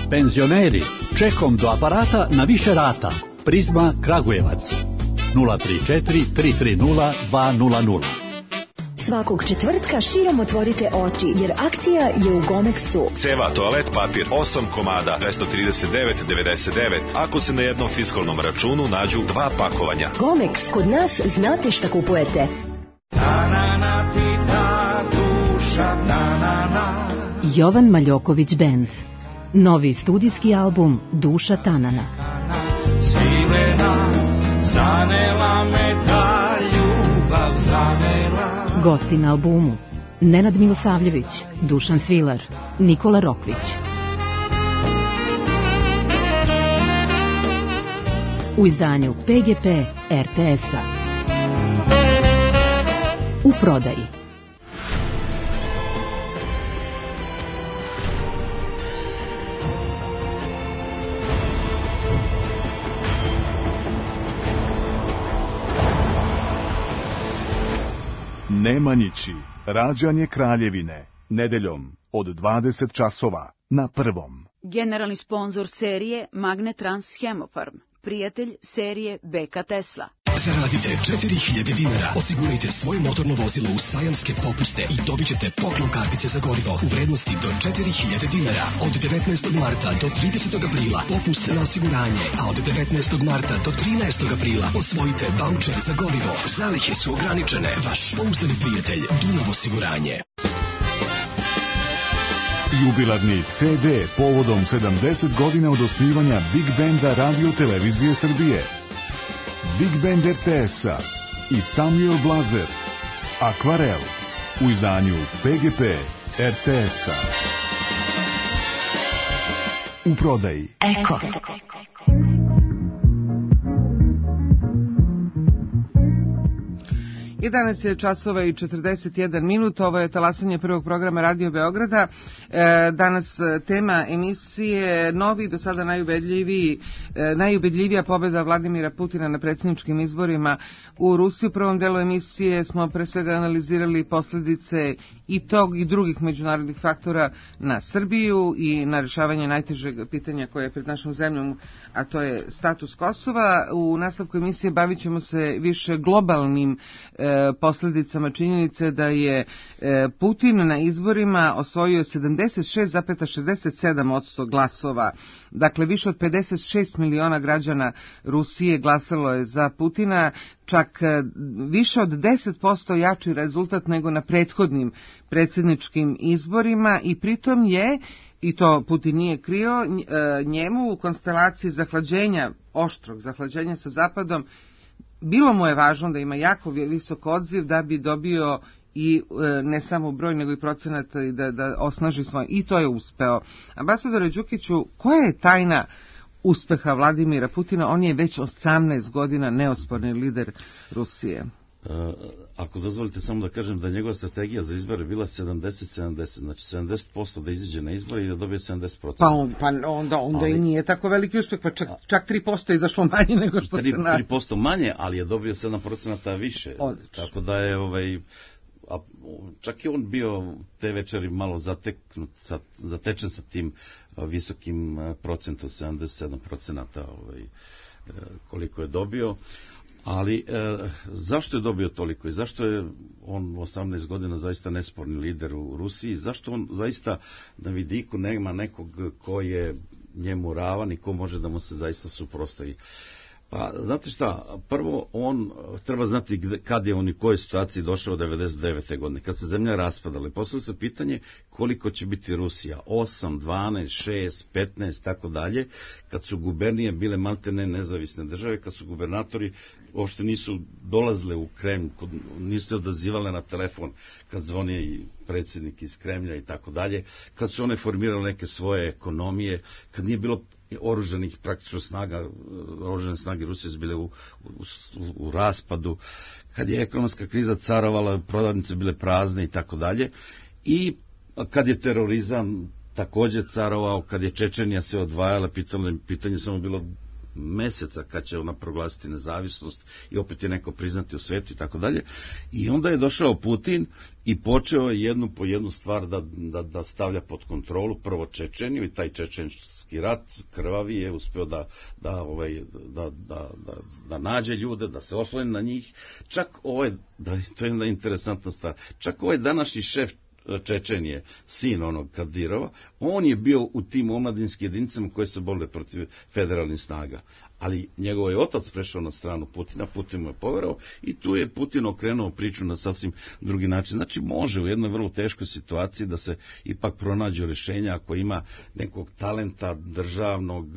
Penzioneri, čekom do aparata na više rata. Prizma Kragujevac. nula tri četiri tri tri nula dva nula nula. Svakog četvrtka širom otvorite oči, jer akcija je u Gomexu. Ceva, toalet papir, osam komada, dvesta trideset devet devedeset devet, ako se na jednom fiskalnom računu nađu dva pakovanja. Gomex, kod nas znate šta kupujete. Jovan Maljoković Band. Novi studijski album Duša Tanana. Svilena, zanela me ta ljubav, zanela. Gosti na albumu Nenad Milosavljević, Dušan Svilar, Nikola Rokvić. U izdanju P G P R T S-a. U prodaji. Nemanjići, rađanje kraljevine, nedeljom od dvadeset časova na Prvom. Generalni sponzor serije Magnetrans Hemofarm, prijatelj serije B K Tesla. Zaradite četiri hiljade dinara, osigurajte svoje motorno vozilo u sajamske popuste i dobit ćete poklon kartice za gorivo u vrednosti do četiri hiljade dinara. Od devetnaestog marta do tridesetog aprila popust na osiguranje, a od devetnaestog marta do trinaestog aprila osvojite vaučer za gorivo. Zalihe su ograničene. Vaš pouzdani prijatelj Dunav osiguranje. Jubilarni C D povodom sedamdeset godina od osnivanja Big Banda Radio Televizije Srbije. Big Band R T S-a i Samuel Blazer, Akvarel, u izdanju P G P R T S-a. U prodaji. Eko. jedanaest je časova i četrdeset jedan minut, ovo je talasanje prvog programa Radio Beograda. E, danas tema emisije novi, do sada najubedljiviji, e, najubedljivija pobjeda Vladimira Putina na predsjedničkim izborima u Rusiji. U prvom delu emisije smo pre svega analizirali posljedice i tog i drugih međunarodnih faktora na Srbiju i na rješavanje najtežeg pitanja koje je pred našom zemljom, a to je status Kosova. U nastavku emisije bavit ćemo se više globalnim e, posljedicama činjenice da je Putin na izborima osvojio sedamdeset šest zarez šezdeset sedam posto glasova. Dakle, više od pedeset šest miliona građana Rusije glasalo je za Putina, čak više od deset posto jači rezultat nego na prethodnim predsjedničkim izborima i pritom je, i to Putin nije krio, njemu u konstelaciji zahlađenja, oštrog zahlađenja sa Zapadom, bilo mu je važno da ima jako visok odziv da bi dobio i e, ne samo broj nego i procenat i da, da osnaži svoj, i to je uspeo. Ambasadore Đukiću, koja je tajna uspeha Vladimira Putina? On je već osamnaest godina neosporni lider Rusije. Uh, ako dozvolite samo da kažem da njegova strategija za izbore bila sedamdeset sedamdeset, znači sedamdeset posto da izađe na izbore i da dobije sedamdeset posto. Pa, on, pa onda, onda ali, i nije tako veliki uspeh, pa čak, čak tri posto je izašlo manje nego što tri, se na... tri posto manje, ali je dobio sedam posto više. Odlično. Tako da je ovaj, a, čak i on bio te večeri malo zateknut, sa, zatečen sa tim a, visokim a, procentom, sedamdeset sedam posto ovaj, a, koliko je dobio. Ali e, zašto je dobio toliko i zašto je on osamnaest godina zaista nesporni lider u Rusiji, zašto on zaista na vidiku nema nekog ko je njemu ravan i ko može da mu se zaista suprotstavi? Pa, znate šta, prvo on treba znati gde, kad je on i kojoj situaciji došao devedeset devete godine, kad se zemlja raspadala. I postavlja se pitanje koliko će biti Rusija, osam, dvanaest, šest, petnaest, tako dalje, kad su gubernije bile maltene nezavisne države, kad su gubernatori uopšte nisu dolazile u Kremlj, nisu se odazivale na telefon kad zvoni predsjednik iz Kremlja i tako dalje, kad su one formirale neke svoje ekonomije, kad nije bilo oružanih praktično snaga, oružane snage Rusije su bile u, u, u raspadu, kad je ekonomska kriza carovala, prodavnice bile prazne i tako dalje, i kad je terorizam također carovao, kad je Čečenija se odvajala, pitanje, pitanje samo bilo meseca kad će ona proglasiti nezavisnost i opet je neko priznati u svetu i tako dalje. I onda je došao Putin i počeo je jednu po jednu stvar da, da, da stavlja pod kontrolu, prvo Čečeniju, i taj čečenski rat krvavi je uspio da, da, ovaj, da, da, da, da nađe ljude, da se osloni na njih. Čak ovaj, da, to je jedna interesantna stvar, čak ovaj današnji šef Čečenije, sin onog Kadirova, on je bio u tim omladinskim jedinicama koje se borile protiv federalnih snaga. Ali njegov je otac prešao na stranu Putina, Putin mu je poverao i tu je Putin okrenuo priču na sasvim drugi način. Znači može u jednoj vrlo teškoj situaciji da se ipak pronađe rješenja ako ima nekog talenta državnog,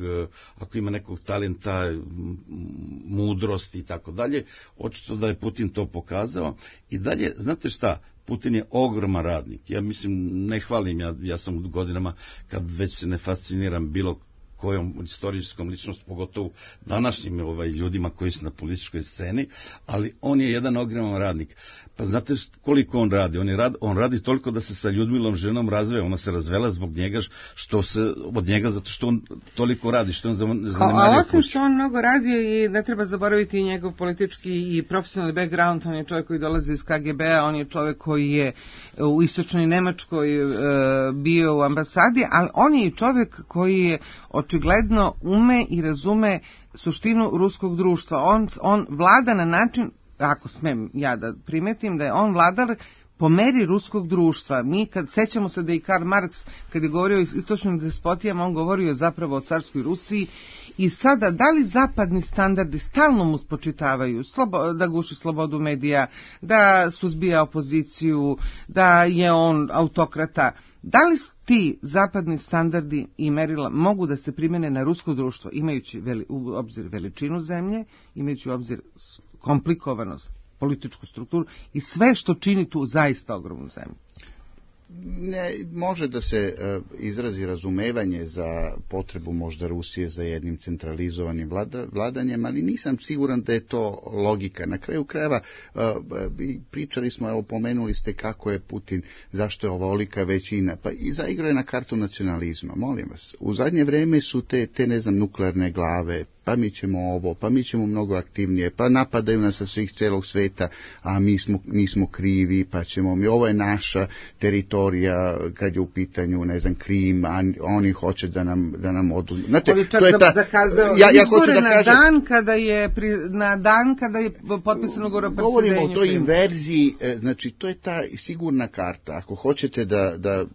ako ima nekog talenta mudrosti i tako dalje. Očito da je Putin to pokazao. I dalje, znate šta, Putin je ogroman radnik. Ja mislim, ne hvalim, ja, ja sam u godinama kad već se ne fasciniram bilo kojom istorijskom ličnosti, pogotovo današnjim ovaj, ljudima koji su na političkoj sceni, ali on je jedan ogroman radnik. Pa znate koliko on radi? On, je rad, on radi toliko da se sa Ljudmilom ženom razveo. Ona se razvela zbog njega, što se, od njega zato što on toliko radi, što on zanemario kuću. A osim što on mnogo radi, i ne treba zaboraviti i njegov politički i profesionalni background. On je čovjek koji dolazi iz K G B-a, on je čovjek koji je u istočnoj Nemačkoj e, bio u ambasadi, ali on je i čovjek koji je očigledno ume i razume suštinu ruskog društva. On, on vlada na način, ako smem ja da primetim, da je on vladar po meri ruskog društva. Mi kad sećamo se da i Karl Marx, kad je govorio o istočnim despotijama, on govorio zapravo o carskoj Rusiji. I sada, da li zapadni standardi stalno mu spočitavaju slobo, da guši slobodu medija, da suzbija opoziciju, da je on autokrata? Da li ti zapadni standardi i merila mogu da se primene na rusko društvo, imajući veli, u obzir veličinu zemlje, imajući u obzir komplikovanost, političku strukturu i sve što čini tu zaista ogromnu zemlju? Ne, može da se uh, izrazi razumevanje za potrebu možda Rusije za jednim centralizovanim vlada, vladanjem, ali nisam siguran da je to logika. Na kraju krajeva uh, pričali smo, evo pomenuli ste kako je Putin, zašto je ovolika većina, pa i zaigrao je na kartu nacionalizma, molim vas. U zadnje vreme su te, te ne znam, nuklearne glave, pa mi ćemo ovo, pa mi ćemo mnogo aktivnije, pa napadaju nas sa svih celog sveta, a mi smo, nismo krivi, pa ćemo mi, ovo je naša teritorija kad je u pitanju, ne znam, Krim, a oni hoće da nam, da nam oduzmu. Znate, to je ta, zakazao, ja, ja hoću da na kažem, dan kada je, pri, na dan kada je potpisano govor o presudenju. Govorimo o toj inverziji, znači to je ta sigurna karta. Ako hoćete da, da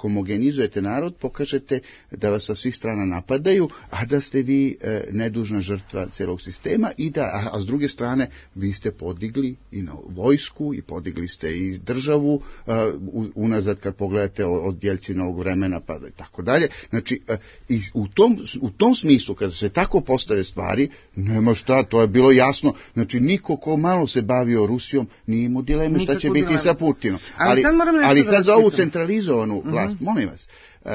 homogenizujete narod, pokažete da vas sa svih strana napadaju, a da ste vi ne dužna žrtva celog sistema, i da, a, a s druge strane vi ste podigli i na vojsku i podigli ste i državu uh, unazad kad pogledate od Jelcinovog vremena pa i tako dalje. Znači uh, i u tom, u tom smislu kada se tako postave stvari, nema šta, to je bilo jasno. Znači niko ko malo se bavio Rusijom nije imao dileme šta će biti sa Putinom. Ali, ali sad, ali sad za ovu centralizovanu vlast, uh-huh. molim vas, uh,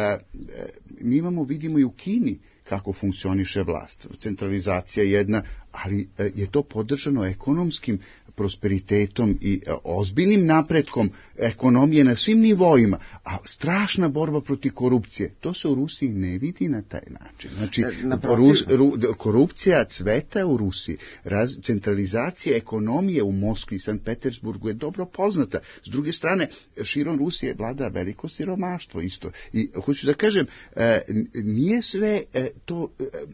mi imamo, vidimo i u Kini kako funkcioniše vlast. Centralizacija jedna, ali je to podržano ekonomskim prosperitetom i ozbiljnim napretkom ekonomije na svim nivoima, a strašna borba protiv korupcije. To se u Rusiji ne vidi na taj način. Znači, Rus, ru, korupcija cveta u Rusiji. Raz, centralizacija ekonomije u Moskvi i Sankt Petersburgu je dobro poznata. S druge strane, širom Rusije vlada veliko siromaštvo isto. I hoću da kažem, nije sve to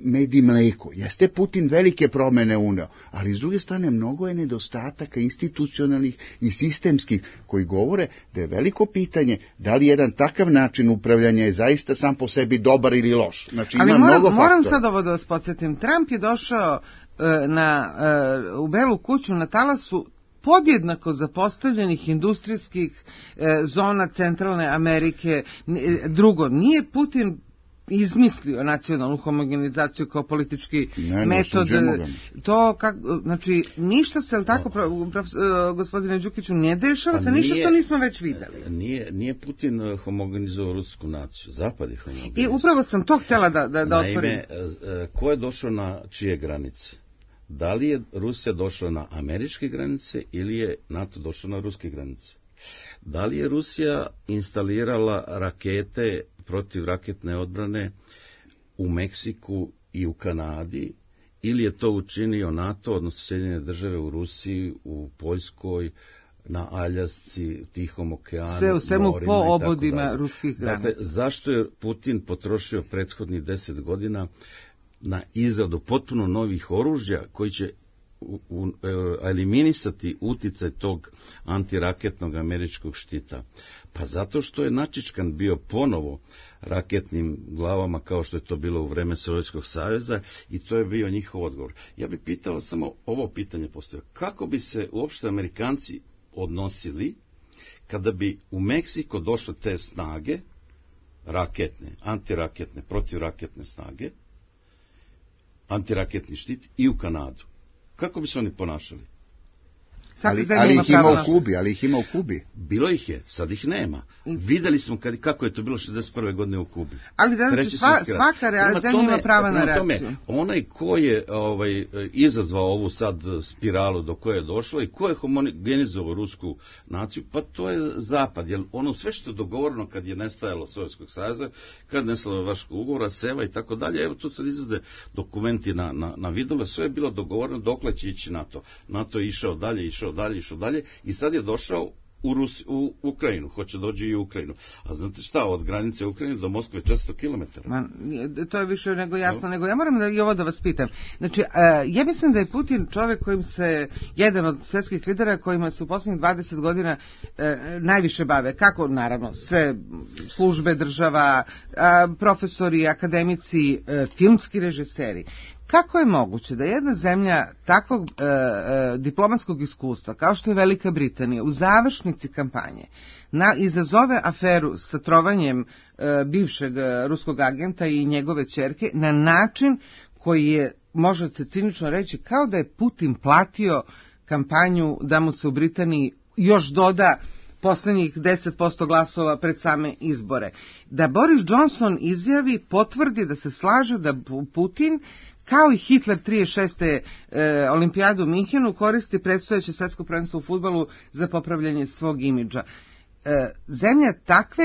med i mleko. Jeste Putin velike promene uneo, ali s druge strane mnogo je nedostataka institucionalnih i sistemskih koji govore da je veliko pitanje da li jedan takav način upravljanja je zaista sam po sebi dobar ili loš. Znači, ali ima moram, mnogo moram faktora. sad ovo da vas podsjetim. Trump je došao na, u Belu kuću na talasu podjednako zapostavljenih industrijskih zona Centralne Amerike. Drugo, nije Putin izmislio nacionalnu homogenizaciju kao politički ne, metod. To kak, znači ništa se tako no. prof, gospodine Đukiću ne dešava, se ništa što nismo već videli. Nije nije Putin homogenizovao rusku naciju, zapad je homogenizovao. I upravo sam to htjela da da, da otvorim. Naime, ko je došao na čije granice? Da li je Rusija došla na američke granice ili je NATO došao na ruske granice? Da li je Rusija instalirala rakete protiv raketne odbrane u Meksiku i u Kanadi, ili je to učinio NATO, odnosno Sjedinjene države u Rusiji, u Poljskoj, na Aljasci, Tihom okeanu, sve u svemu po obodima ruskih granica. Dakle, zašto je Putin potrošio prethodnih deset godina na izradu potpuno novih oružja koji će U, u, eliminisati uticaj tog antiraketnog američkog štita? Pa zato što je načičkan bio ponovo raketnim glavama kao što je to bilo u vreme Sovjetskog saveza i to je bio njihov odgovor. Ja bih pitao samo ovo pitanje postavio. Kako bi se uopšte Amerikanci odnosili kada bi u Meksiko došle te snage raketne, antiraketne, protivraketne snage, antiraketni štit i u Kanadu? Kako bi se oni ponašali? Ali, ali ih ima u Kubi, ali ih ima u Kubi. Bilo ih je, sad ih nema. Videli smo kad, kako je to bilo šezdeset prve godine u Kubi. Ali da sva, svaka reakcija ima prava na reakciju. Tome, onaj ko je ovaj, izazvao ovu sad spiralu do koje je došlo i ko je homogenizovao rusku naciju, pa to je Zapad. Jer ono sve što je dogovoreno kad je nestajalo Sovjetskog saveza, kad je nestalo Varšavskog ugovora, Seva i tako dalje, evo tu sad izlaze dokumenti na, na, na videlu, sve je bilo dogovoreno dokle će ići NATO. NATO je išao dalje, išao dalje, išao dalje i sad je došao u, Rusi, u Ukrajinu, hoće dođe i u Ukrajinu. A znate šta, od granice Ukrajine do Moskve četiristo kilometara. Ma, to je više nego jasno, no. nego ja moram da i ovo da vas pitam. Znači, ja mislim da je Putin čovjek kojim se, jedan od svjetskih lidera kojima se u posljednjih dvadeset godina najviše bave. Kako, naravno, sve službe država, profesori, akademici, filmski režiseri. Kako je moguće da jedna zemlja takvog e, e, diplomatskog iskustva, kao što je Velika Britanija, u završnici kampanje, na, izazove aferu sa trovanjem e, bivšeg ruskog agenta i njegove ćerke na način koji je, može se cinično reći, kao da je Putin platio kampanju da mu se u Britaniji još doda posljednjih deset posto glasova pred same izbore. Da Boris Johnson izjavi, potvrdi da se slaže da Putin, kao i Hitler trideset šeste E, olimpijadu u Minhenu, koristi predstojeće svetsko prvenstvo u fudbalu za popravljanje svog imidža. E, zemlja takve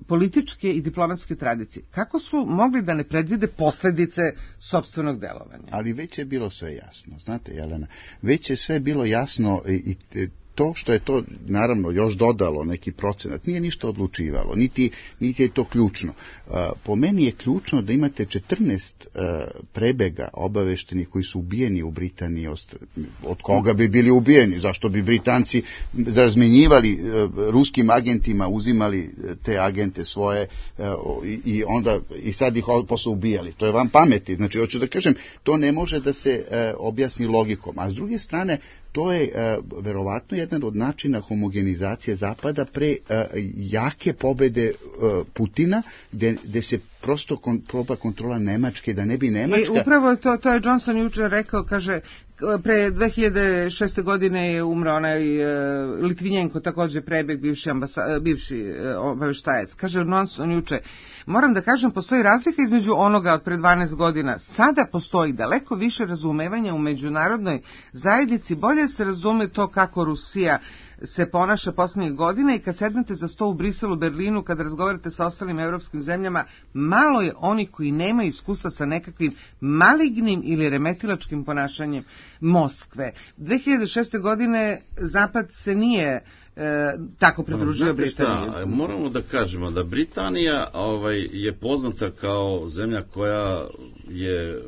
političke i diplomatske tradicije, kako su mogli da ne predvide posljedice sopstvenog delovanja? Ali već je bilo sve jasno, znate, Jelena, već je sve bilo jasno i, i to što je to, naravno, još dodalo neki procenat, nije ništa odlučivalo, niti, niti je to ključno. Po meni je ključno da imate četrnaest prebega obaveštenih koji su ubijeni u Britaniji. Od koga bi bili ubijeni? Zašto bi Britanci razmenjivali ruskim agentima, uzimali te agente svoje i onda i sad ih posle ubijali? To je van pameti. Znači, hoću da kažem, to ne može da se objasni logikom. A s druge strane, to je uh, verovatno jedan od načina homogenizacije Zapada pre uh, jake pobede uh, Putina, gde, gde se prosto kon, proba kontrola Nemačke, da ne bi Nemačka... I upravo to, to je Johnson jučer rekao, kaže, pre dve hiljade šeste. godine je umro onaj uh, Litvinjenko, također prebeg, bivši, ambasa, bivši uh, obaveštajac. Kaže Johnson jučer, moram da kažem, postoji razlika između onoga od pre dvanaest godina. Sada postoji daleko više razumevanja u međunarodnoj zajednici, bolje se razume to kako Rusija se ponaša posljednjih godina i kad sednete za sto u Briselu, Berlinu, kad razgovarate sa ostalim evropskim zemljama, malo je onih koji nemaju iskustva sa nekakvim malignim ili remetilačkim ponašanjem Moskve. dve hiljade šeste. godine Zapad se nije E, tako pridružio Britaniji. Šta, moramo da kažemo da Britanija ovaj, je poznata kao zemlja koja je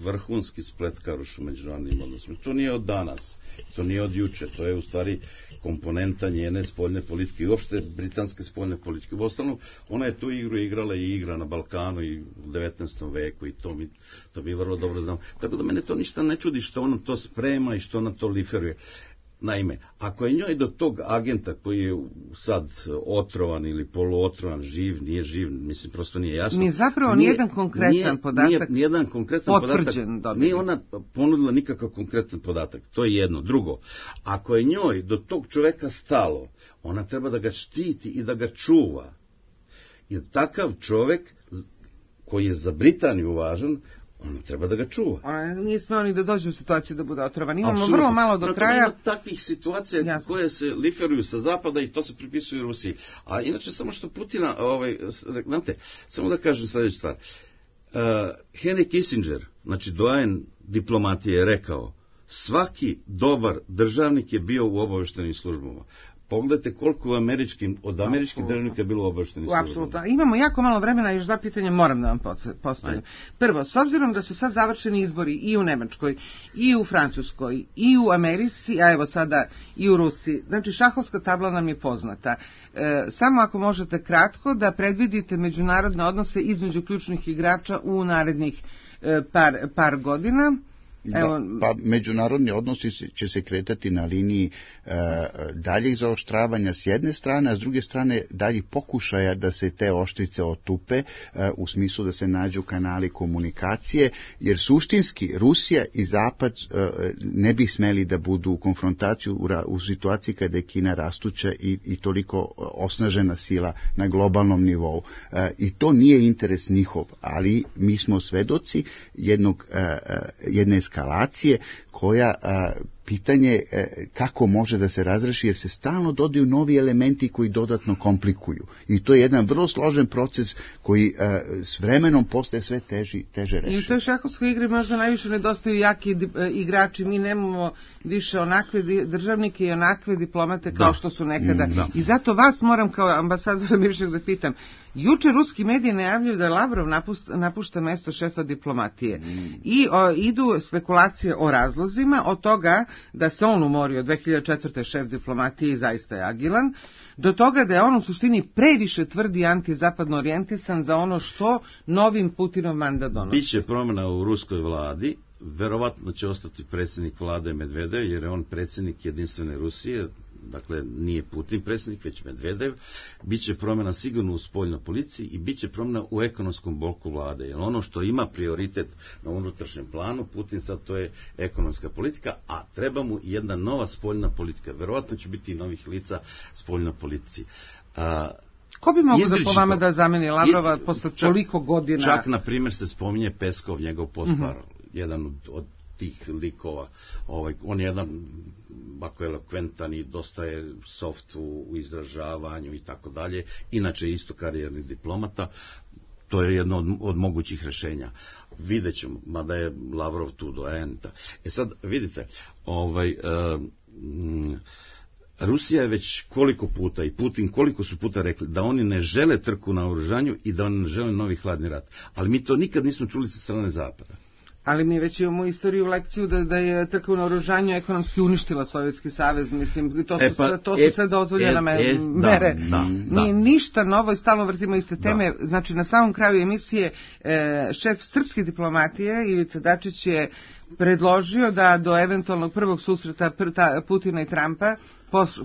vrhunski spletkaroš u međunarodnim odnosima. To nije od danas, to nije od juče, to je u stvari komponenta njene spoljne politike i uopšte britanske spoljne politike. U ostalom, ona je tu igru igrala i igra na Balkanu i u devetnaestom veku i to mi, to mi vrlo dobro znam. Tako da mene to ništa ne čudi što ona to sprema i što ona to liferuje. Naime, ako je njoj do tog agenta koji je sad otrovan ili poluotrovan, živ, nije živ, mislim, prosto nije jasno. Nije zapravo nije, nijedan konkretan nije, podatak nije, nijedan konkretan podatak. Dobili. Nije ona ponudila nikakav konkretan podatak. To je jedno. Drugo, ako je njoj do tog čoveka stalo, ona treba da ga štiti i da ga čuva. Jer takav čovek koji je za Britaniju važan, ona treba da ga čuva. Ona nije smeo ni da dođe u situaciju da bude otrovan. Imamo Absolutno. Vrlo malo do kraja. Ima takvih situacija Jasne. koje se liferuju sa zapada i to se pripisuju Rusiji. A inače, samo što Putina, ovaj, znate, samo da kažem sljedeću stvar. Uh, Henry Kissinger, znači doajen diplomatije, je rekao, svaki dobar državnik je bio u obaveštenim službama. Pogledajte koliko u američkim, od američkih Absolutno. državnika je bilo obaveštenih službama. Apsolutno. Imamo jako malo vremena, još dva pitanja moram da vam postavim. Prvo, s obzirom da su sad završeni izbori i u Nemačkoj, i u Francuskoj, i u Americi, a evo sada i u Rusiji, znači šahovska tabla nam je poznata. E, samo ako možete kratko da predvidite međunarodne odnose između ključnih igrača u narednih e, par, par godina. Da, pa međunarodni odnosi će se kretati na liniji e, daljih zaoštravanja s jedne strane, a s druge strane daljih pokušaja da se te oštrice otupe e, u smislu da se nađu kanali komunikacije, jer suštinski Rusija i Zapad e, ne bi smeli da budu u konfrontaciju u, u situaciji kada je Kina rastuća i, i toliko osnažena sila na globalnom nivou. E, I to nije interes njihov, ali mi smo svedoci jednog, e, jedne eskalacije koja a, pitanje e, kako može da se razreši, jer se stalno dodaju novi elementi koji dodatno komplikuju. I to je jedan vrlo složen proces koji e, s vremenom postaje sve teži, teže reši. I u toj šahovskoj igri možda najviše nedostaju jaki e, igrači. Mi nemamo više onakve državnike i onakve diplomate kao da. što su nekada. Da. I zato vas moram kao ambasadora bivšeg da pitam. Juče ruski mediji najavljuju da Lavrov napušta, napušta mesto šefa diplomatije. Mm. I o, idu spekulacije o razlozima, od toga da se on umorio dve hiljade četvrte. šef diplomatije i zaista je agilan, do toga da je on u suštini previše tvrdi i antizapadno orijentisan za ono što novim Putinov mandat donosi. Biće promjena u ruskoj vladi, verovatno će ostati predsjednik vlade Medvedev, jer je on predsjednik jedinstvene Rusije, dakle nije Putin predsjednik, već Medvedev. Biće promjena sigurno u spoljnoj policiji i biće promjena u ekonomskom bloku vlade, jer ono što ima prioritet na unutrašnjem planu, Putin sad to je ekonomska politika, a treba mu jedna nova spoljna politika. Verovatno će biti i novih lica spoljnoj politici. A, Ko bi mogo da po vama da zameni Lavrova posle toliko godina? Čak, na primjer, se spominje Peskov, njegov potpar, uh-huh. jedan od, od tih likova. Ovaj, on je jedan ako je elokventan i dosta je soft u, u izražavanju i tako dalje. Inače isto karijerni diplomata. To je jedno od, od mogućih rešenja. Vidjet ćemo, mada je Lavrov tu doajen. E sad, vidite, ovaj... Uh, mm, Rusija je već koliko puta i Putin koliko su puta rekli da oni ne žele trku na oružanju i da oni ne žele novi hladni rat. Ali mi to nikad nismo čuli sa strane Zapada. Ali mi već imamo istoriju lekciju da, da je trka na oružanju ekonomski uništila Sovjetski savez. Mislim, to su, e pa, sve, to su e, sve dozvoljene e, e, mere. Da, da, da. Ni, ništa novo i stalno vrtimo iste teme. Da. Znači, na samom kraju emisije e, šef srpske diplomatije Ivica Dačić je predložio da do eventualnog prvog susreta Putina i Trumpa,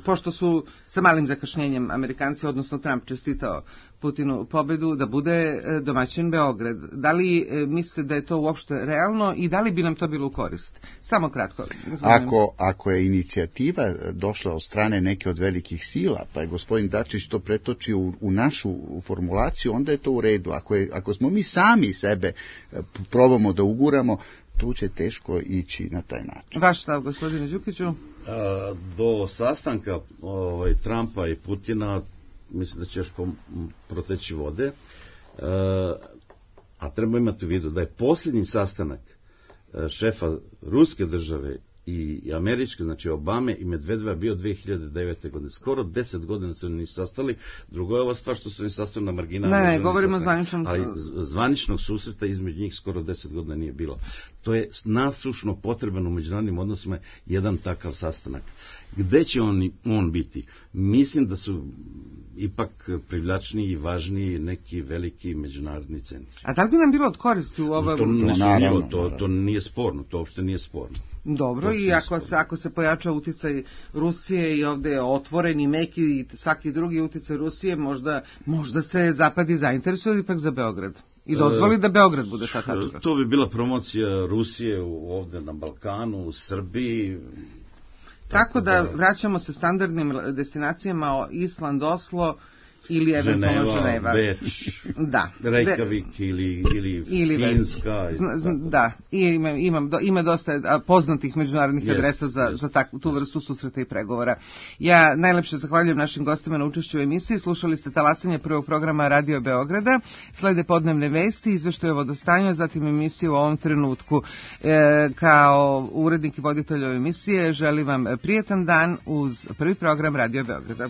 pošto su sa malim zakašnjenjem Amerikanci, odnosno Trump čestitao Putinu pobedu, da bude domaćin Beograd. Da li mislite da je to uopšte realno i da li bi nam to bilo u korist? Samo kratko. Ako, ako je inicijativa došla od strane neke od velikih sila, pa je gospodin Dačić to pretočio u, u našu formulaciju, onda je to u redu. Ako, je, ako smo mi sami sebe probamo da uguramo, tu će teško ići na taj način. Vaš stav, gospodine Đukiću? A, do sastanka ovaj, Trumpa i Putina mislim da će još proteći vode, a, a treba imati u vidu da je posljednji sastanak šefa ruske države i američke, znači Obame i Medvedeva bio dve hiljade devete. godine. Skoro deset godina se oni nisu sastali. Drugo je ova stvar što su oni sastali na marginama. Ne, ne, govorimo o zvaničnom... Ali zvaničnog susreta između njih skoro deset godina nije bilo. To je nasušno potreban u međunarodnim odnosima jedan takav sastanak. Gde će on, on biti? Mislim da su ipak privlačniji i važniji neki veliki međunarodni centri. A da li bi nam bilo od koristi u ovom... To, ne, naravno, to, to nije sporno, to uopšte nije sporno. Dobro, i ako se, ako se pojača uticaj Rusije i ovde je otvoren i meki i svaki drugi uticaj Rusije, možda, možda se Zapad i zainteresuje ipak za Beograd. I dozvoli da Beograd bude ta tačka. To bi bila promocija Rusije ovde na Balkanu, u Srbiji. Tako, tako da, da vraćamo se standardnim destinacijama Island, Oslo ili eventualno Ženeva. Beč, da. Reykjavik ili, ili, ili Finska. Zna, zna, da, I ima, imam, ima dosta poznatih međunarodnih yes, adresa za, yes, za takvu, tu vrstu susreta i pregovora. Ja najlepše zahvaljujem našim gostima na učešću u emisiji. Slušali ste talasanje prvog programa Radio Beograda. Slede podnevne vesti, izveštaje o vodostanju, zatim emisiju u ovom trenutku. E, kao urednik i voditelj ove emisije želim vam prijetan dan uz prvi program Radio Beograda.